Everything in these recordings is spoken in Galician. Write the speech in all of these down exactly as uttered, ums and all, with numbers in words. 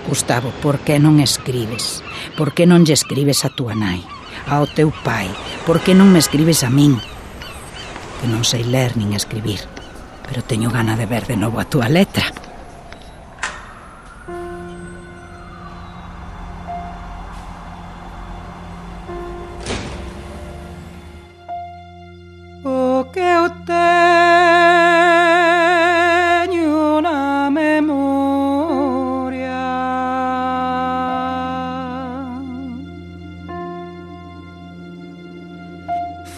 Gustavo, por que non escribes? Por que non lle escribes a túa nai, ao teu pai? Por que non me escribes a min? Que non sei ler nin escribir, pero teño gana de ver de novo a túa letra. O que eu teño na memoria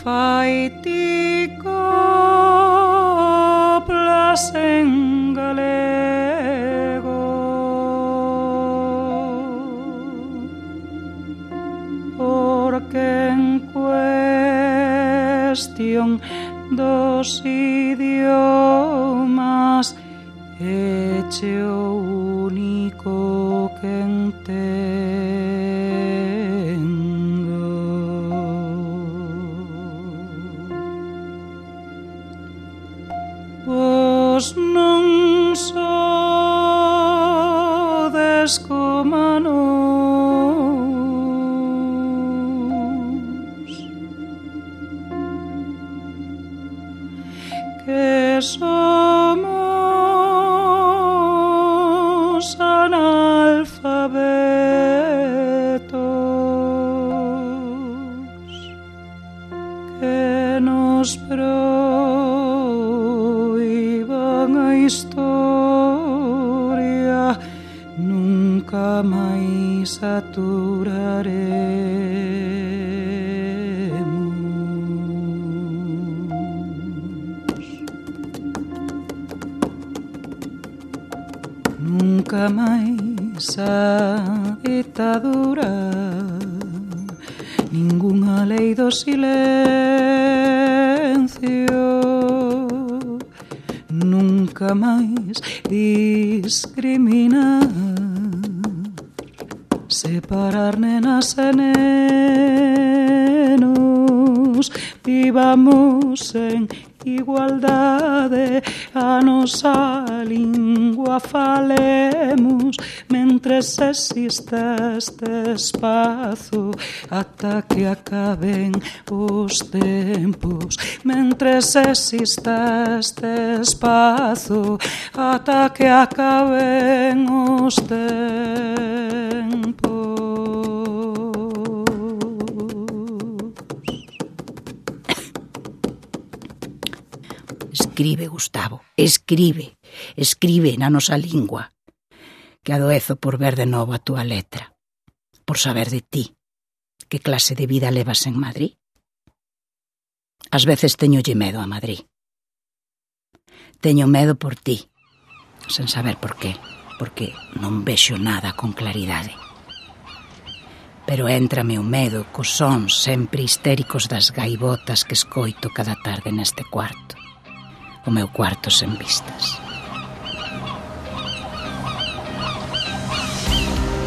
fai ti coplas en galego, porque en cuestión dos idiomas eche o único que entendo. Vos non sodes coma nos, que somos analfabetos, que nos proíban a historia, nunca máis aturaremos. Nunca máis a ditadura, ningunha lei do silencio, nunca máis discriminar, separar nenas e nenos, vivamos en igualdade, a nosa lingua falemos, mentres exista este espazo, ata que acaben os tempos, mentres exista este espazo, ata que acaben os tempos. Escribe, Gustavo, escribe, escribe na nosa lingua, que adoezo por ver de novo a túa letra, por saber de ti, que clase de vida levas en Madrid. Ás veces teñolle medo a Madrid. Teño medo por ti, sen saber por qué, porque non vexo nada con claridade. Pero éntrame o medo cos sons sempre histéricos das gaivotas que escoito cada tarde neste cuarto. O meu cuarto sen vistas.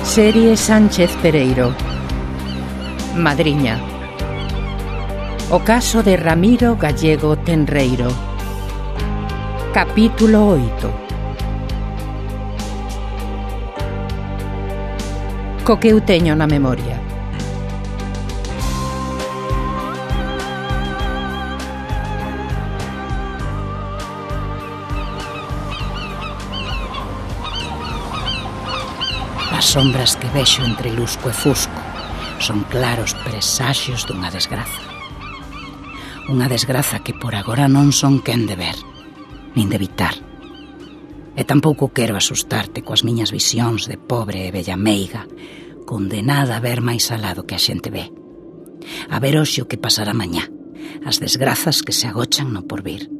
Serie Sánchez Pereiro. Madriña. O caso de Ramiro Gallego Tenreiro. Capítulo oito. Co que eu teño na memoria. As sombras que vexo entre lusco e fusco son claros presaxios dunha desgraza. Unha desgraza que por agora non son quen de ver, nin de evitar. E tampouco quero asustarte coas miñas visións de pobre e bella meiga, condenada a ver máis alado que a xente ve. A ver hoxe o que pasará mañá, as desgrazas que se agochan no porvir.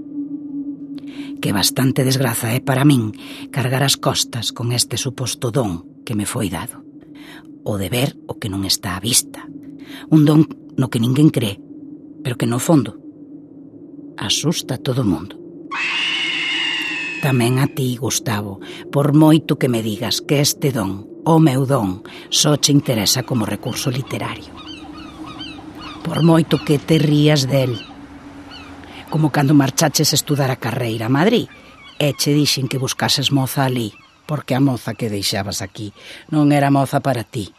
Que bastante desgraza é para min cargar as costas con este suposto don que me foi dado, o de ver o que non está á vista, un don no que ninguén cree, pero que no fondo asusta a todo o mundo. Tamén a ti, Gustavo, por moito que me digas que este don, o meu don, só che interesa como recurso literario. Por moito que te rías del, como cando marchaches a estudar a carreira a Madrid, e che dixen que buscases moza ali, porque a moza que deixabas aquí non era moza para ti.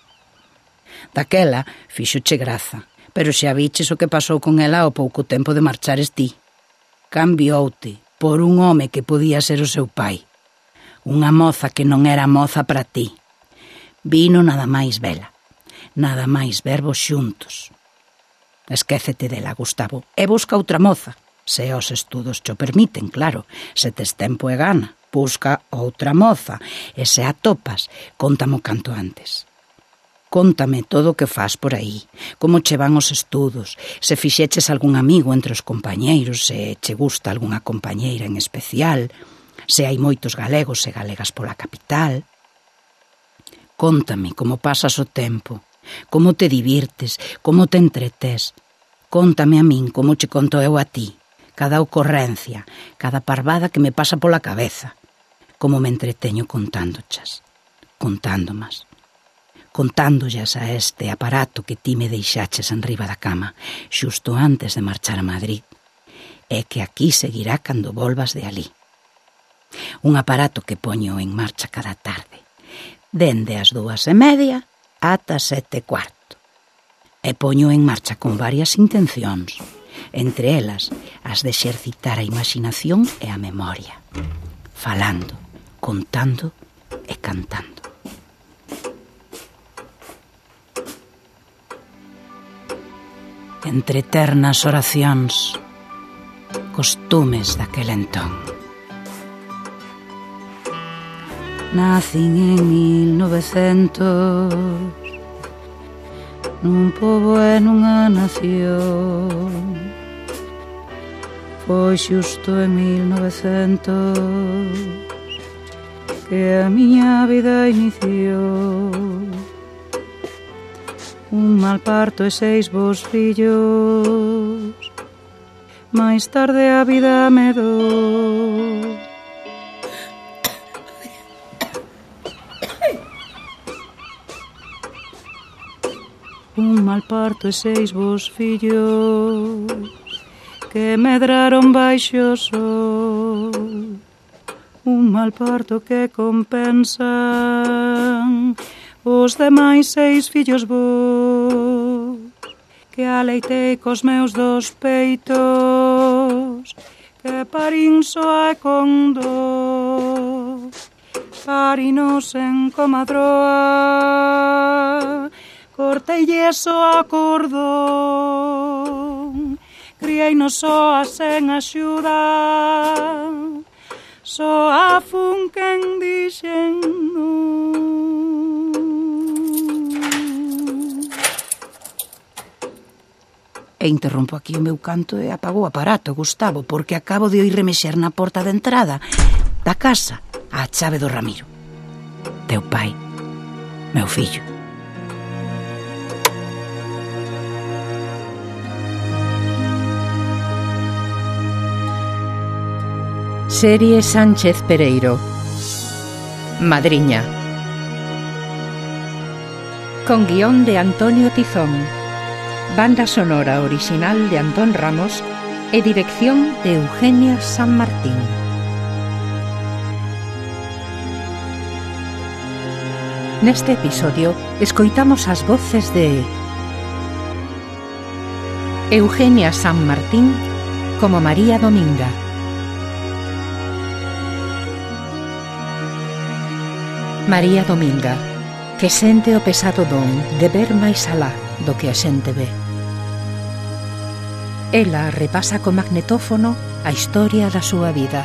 Daquela fíxoche graza, pero xa viches o que pasou con ela ao pouco tempo de marchares ti. Cambioute por un home que podía ser o seu pai. Unha moza que non era moza para ti. Vino nada máis vela, nada máis vervos xuntos. Esquécete dela, Gustavo, e busca outra moza. Se os estudos cho permiten, claro, se tes tempo e gana. Busca outra moza, e se atopas, contamo canto antes. Cóntame todo o que fas por aí, como che van os estudos, se fixeches algún amigo entre os compañeiros, se che gusta algunha compañeira en especial, se hai moitos galegos e galegas pola capital. Cóntame como pasas o tempo, como te divirtes, como te entretés. Cóntame a min como che conto eu a ti, cada ocorrencia, cada parvada que me pasa pola cabeza. Como me entreteño contándochas, contándomas, contándollas a este aparato que ti me deixaches enriba da cama, xusto antes de marchar a Madrid, e que aquí seguirá cando volvas de alí. Un aparato que poño en marcha cada tarde, dende as dúas e media ata sete e cuarto, e poño en marcha con varias intencións, entre elas as de exercitar a imaginación e a memoria, falando, contando e cantando. Entre eternas oracións, costumes daquel entón. Nacín en mil novecentos nun pobo e nunha nación. Foi xusto en mil novecentos que a miña vida iniciou. Un mal parto e seis bos fillos, máis tarde a vida me dou. Un mal parto e seis bos fillos que medraron baixo o sol. Un mal parto que compensan os demais seis fillos vos que aleitei cos meus dos peitos, que parín soa e con dor, parinos en comadroa, corteille soa cordón, crieinos soa sen axuda, soa fun quen dixen non. E interrompo aquí o meu canto e apago o aparato, Gustavo, porque acabo de oír remexer na porta de entrada da casa a chave do Ramiro. Teu pai, meu fillo. Serie Sánchez Pereiro. Madriña. Con guión de Antonio Tizón. Banda sonora original de Antón Ramos e dirección de Eugenia San Martín. Neste episodio escoitamos as voces de Eugenia San Martín como María Dominga, María Dominga, que sente o pesado don de ver máis alá do que a xente ve. Ela repasa co magnetófono a historia da súa vida.